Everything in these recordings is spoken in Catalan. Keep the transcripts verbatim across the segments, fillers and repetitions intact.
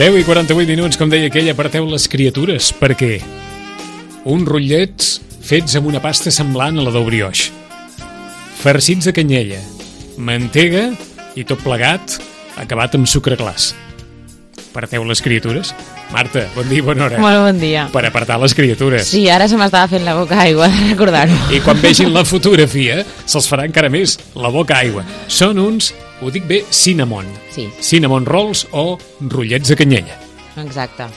deu i quaranta-vuit minuts, com deia aquell, aparteu les criatures, perquè uns rotllets fets amb una pasta semblant a la del brioix, farcits de canyella, mantega i tot plegat acabat amb sucre glaç. Aparteu les criatures. Marta, bon dia i bona hora. Molt bon dia. Per apartar les criatures. Sí, ara se m'estava fent la boca aigua de recordar-ho. I quan vegin la fotografia, se'ls farà encara més la boca aigua. Són uns, ho dic bé, cinnamon. Sí. Cinnamon rolls o rotllets de canyella. Exacte.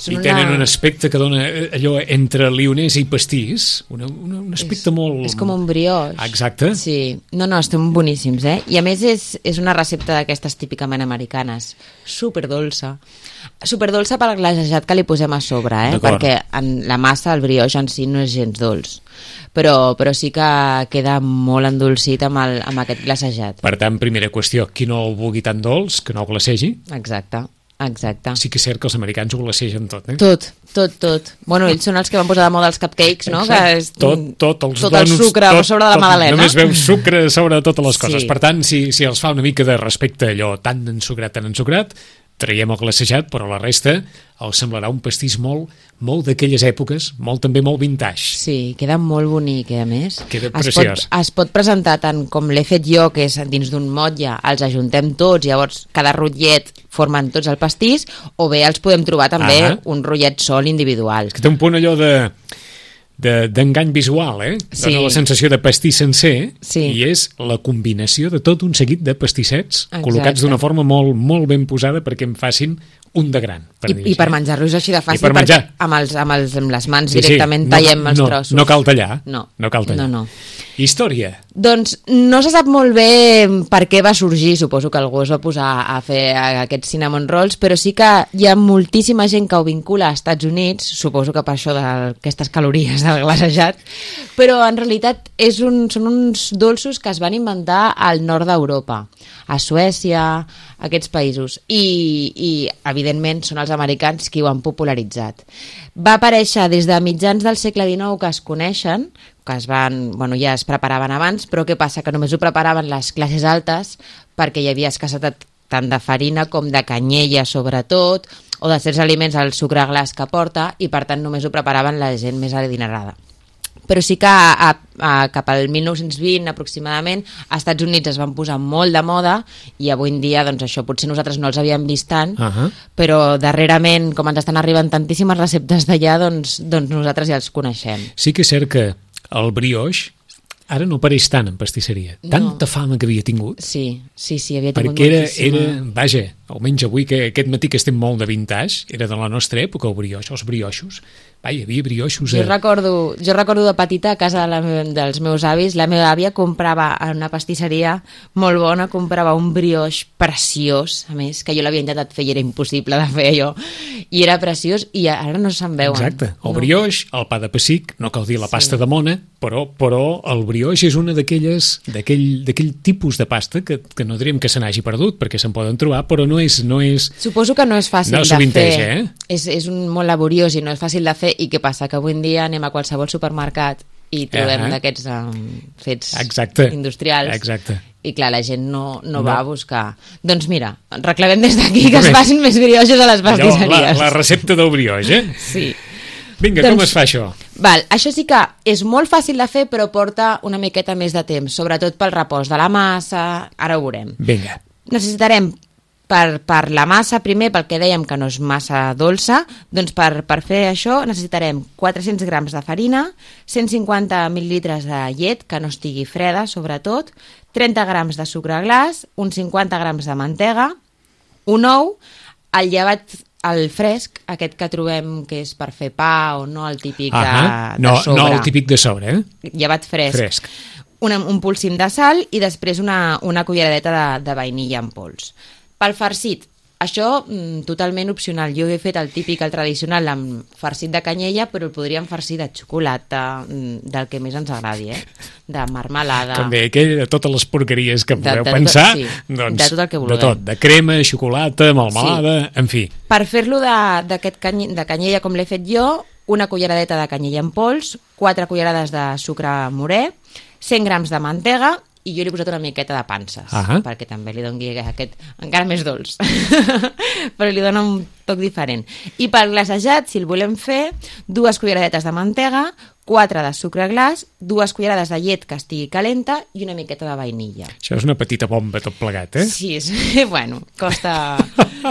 I tenen un aspecte que dona allò entre lionès i pastís, una, una, un aspecte és, molt... És com un brioix. Exacte. Sí. No, no, estan boníssims, eh? I a més és, és una recepta d'aquestes típicament americanes. Superdolça. Superdolça pel glaçejat que li posem a sobre, eh? Perquè en la massa, el brioix en si no és gens dolç. Però, però sí que queda molt endolcit amb, el, amb aquest glaçejat. Per tant, primera qüestió, qui no el vulgui tan dolç, que no el glacegi. Exacte. Exacte. Sí que és cert que els americans ho glacegen tot, eh? Tot, tot, tot. Bueno, ells són els que van posar de moda els cupcakes, no? Que és tot, tot, els tot donuts, el sucre tot, a sobre de la tot, magdalena. Només veus sucre sobre totes les coses. Sí. Per tant, si, si els fa una mica de respecte allò tan ensucrat, tan ensucrat, traiem el glacejat, però la resta els semblarà un pastís molt, molt d'aquelles èpoques, molt també molt vintage. Sí, queda molt bonic, eh, a més. Queda es preciós. Pot, es pot presentar tant com l'he fet jo, que és dins d'un motlle, els ajuntem tots, llavors cada rotllet formen tots el pastís, o bé els podem trobar també ah un rotllet sol individual. És que té un punt allò de... d'engany visual, eh? Sí. Dona la sensació de pastís sencer, sí. I és la combinació de tot un seguit de pastissets. Exacte. Col·locats d'una forma molt, molt ben posada perquè em facin un de gran. Per I, I per menjar-los així de fàcil, per menjar. Amb, els, amb, els, amb les mans sí, directament sí. tallem no, els no, trossos. No cal tallar. No, no cal tallar. No, no. Història. Doncs no se sap molt bé per què va sorgir, suposo que algú es va posar a fer aquests cinnamon rolls, però sí que hi ha moltíssima gent que ho vincula als Estats Units, suposo que per això d'aquestes calories del glaçejat, però en realitat és un, són uns dolços que es van inventar al nord d'Europa, a Suècia, aquests països, i, i evidentment són els americans qui ho han popularitzat. Va aparèixer des de mitjans del segle dinou que es coneixen, que es van, bueno, ja es preparaven abans, però què passa? Que només ho preparaven les classes altes perquè hi havia escassetat tant de farina com de canyella, sobretot, o de certs aliments, el sucre glaç que porta, i per tant només ho preparaven la gent més adinerada. Però sí que a, a, cap al mil nou-cents vint aproximadament als Estats Units es van posar molt de moda i avui en dia, doncs això, potser nosaltres no els havíem vist tant, uh-huh. però darrerament, com ens estan arribant tantíssimes receptes d'allà, doncs, doncs nosaltres ja els coneixem. Sí que és cert que el brioix ara no apareix tant en pastisseria. No. Tanta fama que havia tingut. Sí, sí, sí, havia tingut perquè era, moltíssima. era, vaja, almenys avui, que aquest matí que estem molt de vintage, era de la nostra època, el brioix, els brioixos. Va, hi havia brioixos... A... Jo recordo, jo recordo de petita, a casa de la, dels meus avis, la meva àvia comprava en una pastisseria molt bona, comprava un brioix preciós, a més, que jo l'havia intentat fer i era impossible de fer allò, i era preciós, i ara no se'n veuen. Exacte, el no. brioix, el pa de pessic, no cal dir la pasta sí. de mona, però, però el brioix és una d'aquelles d'aquell tipus de pasta que, que no diríem que se n'hagi perdut, perquè se'n poden trobar, però no és... No és Suposo que no és fàcil no de vintage, fer. Eh? És, és un molt laboriós i no és fàcil de fer, i què passa? Que avui en dia anem a qualsevol supermercat i trobem uh-huh. d'aquests um, fets Exacte. industrials. Exacte. I clar, la gent no, no, no va a buscar. Doncs mira, reclamem des d'aquí que es facin més brioixos a les pastisseries. Allò, la, la recepta del brioix, eh? Sí. Vinga, doncs, com es fa això? Val, això sí que és molt fàcil de fer, però porta una miqueta més de temps, sobretot pel repòs de la massa, ara ho veurem. Vinga. Necessitarem per, per la massa, primer, pel que dèiem que no és massa dolça, doncs per, per fer això necessitarem quatre-cents grams de farina, cent cinquanta mil·lilitres de llet, que no estigui freda, sobretot, trenta grams de sucre glaç, uns cinquanta grams de mantega, un ou, el llevat el fresc, aquest que trobem que és per fer pa o no el típic de, de no, sobre. No el típic de sobre, eh? Llevat fresc. Fresc. Una, un polsim de sal i després una, una culleradeta de, de vainilla en pols. Pel farcit, això mm, totalment opcional. Jo he fet el típic, el tradicional, amb farcit de canyella, però el podríem farcir de xocolata, mm, del que més ens agradi, eh? De marmelada... Com deia aquell, de totes les porqueries que podeu de, de pensar, tot, sí, doncs, de tot el que vulguem. De tot, de crema, xocolata, melmelada, sí. En fi. Per fer-lo d'aquest cany, de canyella com l'he fet jo, una culleradeta de canyella en pols, quatre cullerades de sucre morè, cent grams de mantega i jo li he posat una miqueta de panses, ah perquè també li doni aquest encara més dolç, però li dona un toc diferent. I pel glaçejat, si el volem fer, dues culleradetes de mantega, quatre de sucre glaç, dues cullerades de llet que estigui calenta i una miqueta de vainilla. Això és una petita bomba tot plegat, eh? Sí, és, bueno, costa...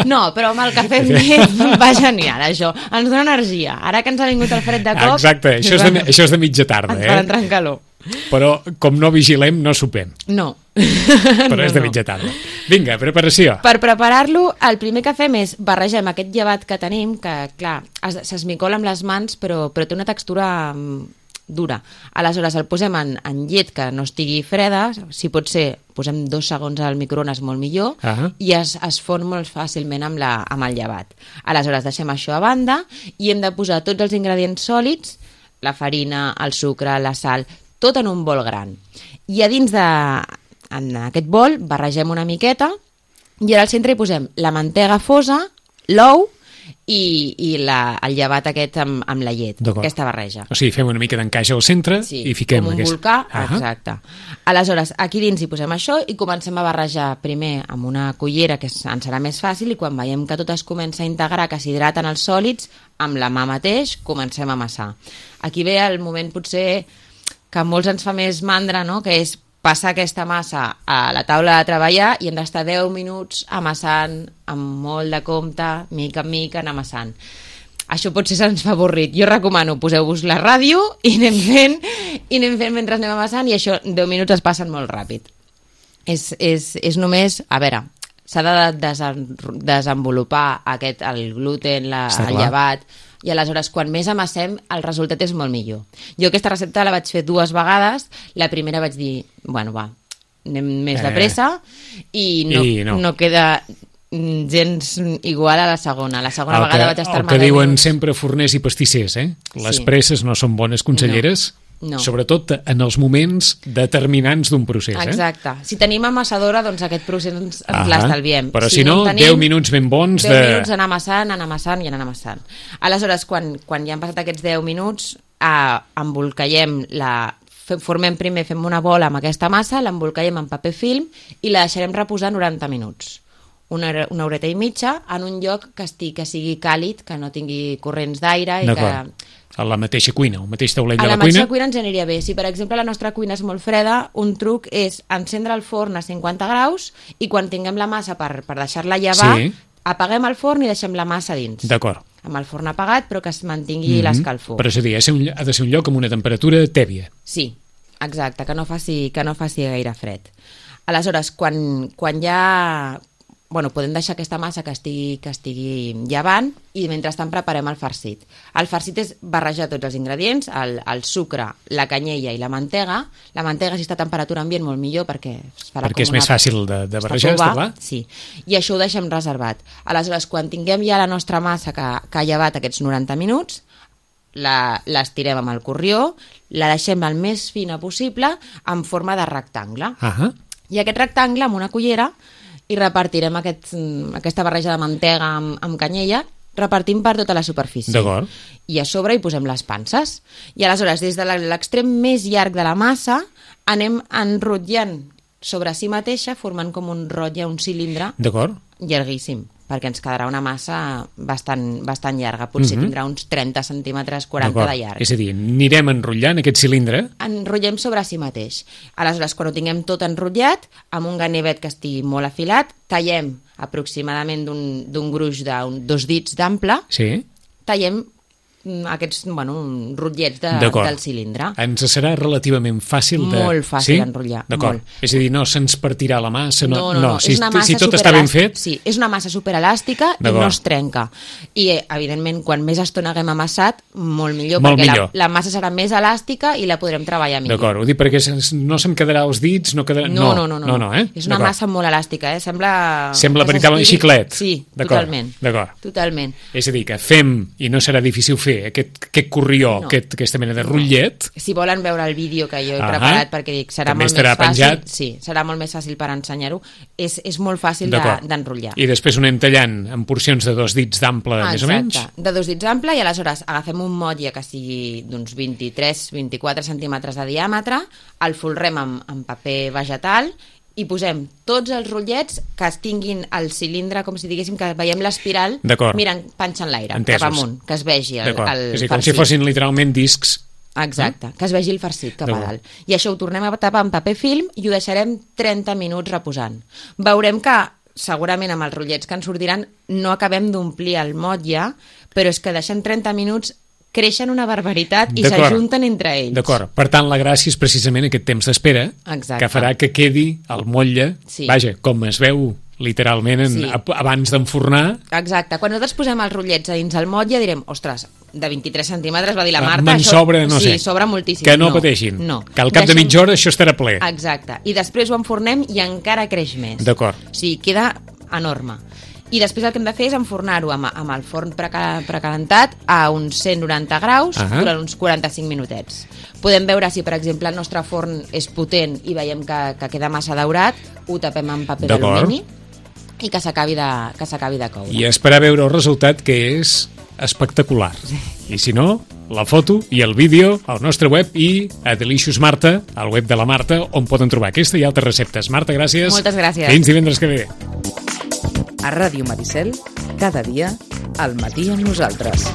No, però amb el cafè amb llet va genial, això. Ens dona energia. Ara que ens ha vingut el fred de cop... Exacte, això és de, això és de mitja tarda, ens eh? fa entrar en calor. Però, com no vigilem, no sopem. No. Però no, és de no. mitja tarda. Vinga, preparació. Per preparar-lo, el primer que fem és barregem aquest llevat que tenim, que, clar, s'esmicola amb les mans, però, però té una textura dura. Aleshores, el posem en, en llet que no estigui freda, si pot ser, posem dos segons al microones molt millor, uh-huh. i es, es fon molt fàcilment amb, la, amb el llevat. Aleshores, deixem això a banda i hem de posar tots els ingredients sòlids, la farina, el sucre, la sal, tot en un bol gran. I a dins de, en aquest bol barregem una miqueta i ara al centre hi posem la mantega fosa, l'ou i, i la, el llevat aquest amb, amb la llet, aquesta barreja. O sigui, fem una mica d'encaix al centre sí, i fiquem com un aquest... volcà, uh-huh. exacte. Aleshores, aquí dins hi posem això i comencem a barrejar primer amb una cullera, que ens serà més fàcil, i quan veiem que tot es comença a integrar, que s'hidraten els sòlids, amb la mà mateix comencem a amassar. Aquí ve el moment potser que a molts ens fa més mandra, no?, que és passar aquesta massa a la taula de treballar i hem d'estar deu minuts amassant amb molt de compte, mica en mica, anar amassant. Això potser se'ns fa avorrit. Jo recomano, poseu-vos la ràdio i anem fent, i anem fent mentre anem amassant, i això, deu minuts es passen molt ràpid. És, és, és només, a veure, s'ha de desen, desenvolupar aquest, el gluten, la, el llevat, i aleshores quan més amassem el resultat és molt millor. Jo aquesta recepta la vaig fer dues vegades, la primera vaig dir, bueno va, anem més eh. de pressa, i no, I no. no queda gens igual a la segona. La segona el vegada que, vaig estar el que diuen minuts. Sempre forners i pastissers, eh? Les sí. presses no són bones conselleres. No. No. Sobretot en els moments determinants d'un procés. Exacte. Eh? Si tenim amassadora, doncs aquest procés ens, ens uh-huh. l'estalviem. Però si, si no, tenim, deu minuts ben bons deu de... deu minuts anar amassant, anar amassant i anar amassant. Aleshores, quan, quan ja han passat aquests deu minuts, eh, embolcallem la... formem primer, fem una bola amb aquesta massa, l'embolcallem en paper film i la deixarem reposar noranta minuts. Una, una horeta i mitja en un lloc que, estigui, que sigui càlid, que no tingui corrents d'aire i D'acord. que... A la mateixa cuina, el mateix taulell de la, la cuina? A la mateixa cuina ens aniria bé. Si, per exemple, la nostra cuina és molt freda, un truc és encendre el forn a cinquanta graus i quan tinguem la massa per, per deixar-la llevar, sí. apaguem el forn i deixem la massa dins. D'acord. Amb el forn apagat, però que es mantingui mm-hmm. l'escalfor. Però és a dir, ha de ser un lloc amb una temperatura tèbia. Sí, exacte, que no faci, que no faci gaire fred. Aleshores, quan, quan ja... Bueno, podem deixar aquesta massa que estigui, que estigui llevant i mentrestant preparem el farcit. El farcit és barrejar tots els ingredients, el, el sucre, la canyella i la mantega. La mantega, si està a temperatura ambient, molt millor perquè es farà perquè com és més fàcil de, de barrejar, està clar? Sí, i això ho deixem reservat. Aleshores, quan tinguem ja la nostra massa que, que ha llevat aquests noranta minuts, la, l'estirem amb el corrió, la deixem el més fina possible en forma de rectangle. Uh-huh. I aquest rectangle, amb una cullera, i repartirem aquest, aquesta barreja de mantega amb, amb canyella, repartim per tota la superfície. D'acord. I a sobre hi posem les panses. I aleshores, des de l'extrem més llarg de la massa, anem enrotllant sobre si mateixa, formant com un rotlle, un cilindre D'acord. llarguíssim, perquè ens quedarà una massa bastant, bastant llarga. Potser uh-huh. tindrà uns trenta centímetres, quaranta D'acord. De llarg. És a dir, anirem enrotllant aquest cilindre? Enrotllem sobre si mateix. Aleshores, quan ho tinguem tot enrotllat, amb un ganivet que estigui molt afilat, tallem aproximadament d'un, d'un gruix de un, dos dits d'ample, sí. tallem aquests, bueno, rotllets de, del cilindre. Ens serà relativament fàcil de... Molt fàcil sí? d'enrotllar. D'acord. Molt. És a dir, no se'ns partirà la massa, no, no, no, no. no. Si, és una massa si tot està ben fet... Sí, és una massa superelàstica i no es trenca. I, evidentment, quan més estona haguem amassat, molt millor, molt perquè millor. La, la massa serà més elàstica i la podrem treballar millor. D'acord, ho dic perquè no se'm quedarà als dits, no quedarà... No, no, no. no, no, no eh? És una massa molt elàstica, eh? Sembla... Sembla veritablement xiclet. Sí, totalment. D'acord. Totalment. És a dir, que fem, i no serà difícil fer, fer aquest, aquest corrió, No. aquest, aquesta mena de rotllet. Si volen veure el vídeo que jo he Ahà. preparat, perquè dic, serà També molt estarà més fàcil. penjat. Sí, serà molt més fàcil per ensenyar-ho. És, és molt fàcil D'acord. de- d'enrotllar. I després ho anem tallant en porcions de dos dits d'ample, més o menys. Exacte, de dos dits ample, i aleshores agafem un motlle que sigui d'uns vint-i-tres vint-i-quatre centímetres de diàmetre, el folrem amb, amb paper vegetal i posem tots els rotllets que es tinguin el cilindre, com si diguéssim que veiem l'espiral D'acord. mirant, panxa en l'aire, Entesos. cap amunt, que es vegi el, D'acord. el És a dir, com si farcit. fossin literalment discs. Exacte, que es vegi el farcit cap a D'acord. dalt. I això ho tornem a tapar amb paper film i ho deixarem trenta minuts reposant. Veurem que segurament amb els rotllets que ens sortiran no acabem d'omplir el motlle, però és que deixant trenta minuts creixen una barbaritat i D'acord. s'ajunten entre ells. D'acord. Per tant, la gràcia és precisament aquest temps d'espera Exacte. que farà que quedi el motlle, Sí. vaja, com es veu literalment en, Sí. ab- abans d'enfornar. Exacte. Quan nosaltres posem els rotllets a dins el motlle direm, ostres, de vint-i-tres centímetres, va dir la Ah, Marta. me'n això- sobra, no sí, sé. sobra moltíssim. Que no pateixin. No. Que al cap de Deixem- mitja hora això estarà ple. Exacte. I després ho enfornem i encara creix més. D'acord. O sigui, queda enorme. I després el que hem de fer és enfornar-ho amb, amb el forn preca, precalentat a uns cent noranta graus Ahà. durant uns quaranta-cinc minutets. Podem veure si, per exemple, el nostre forn és potent i veiem que, que queda massa daurat, ho tapem amb paper D'acord. d'alumini i que s'acabi de, que s'acabi de coure. I esperar veure el resultat, que és espectacular. I si no, la foto i el vídeo al nostre web i a Delicious Marta, al web de la Marta, on poden trobar aquesta i altres receptes. Marta, gràcies. Moltes gràcies. Fins divendres que ve. A Ràdio Maricel, cada dia, al matí amb nosaltres.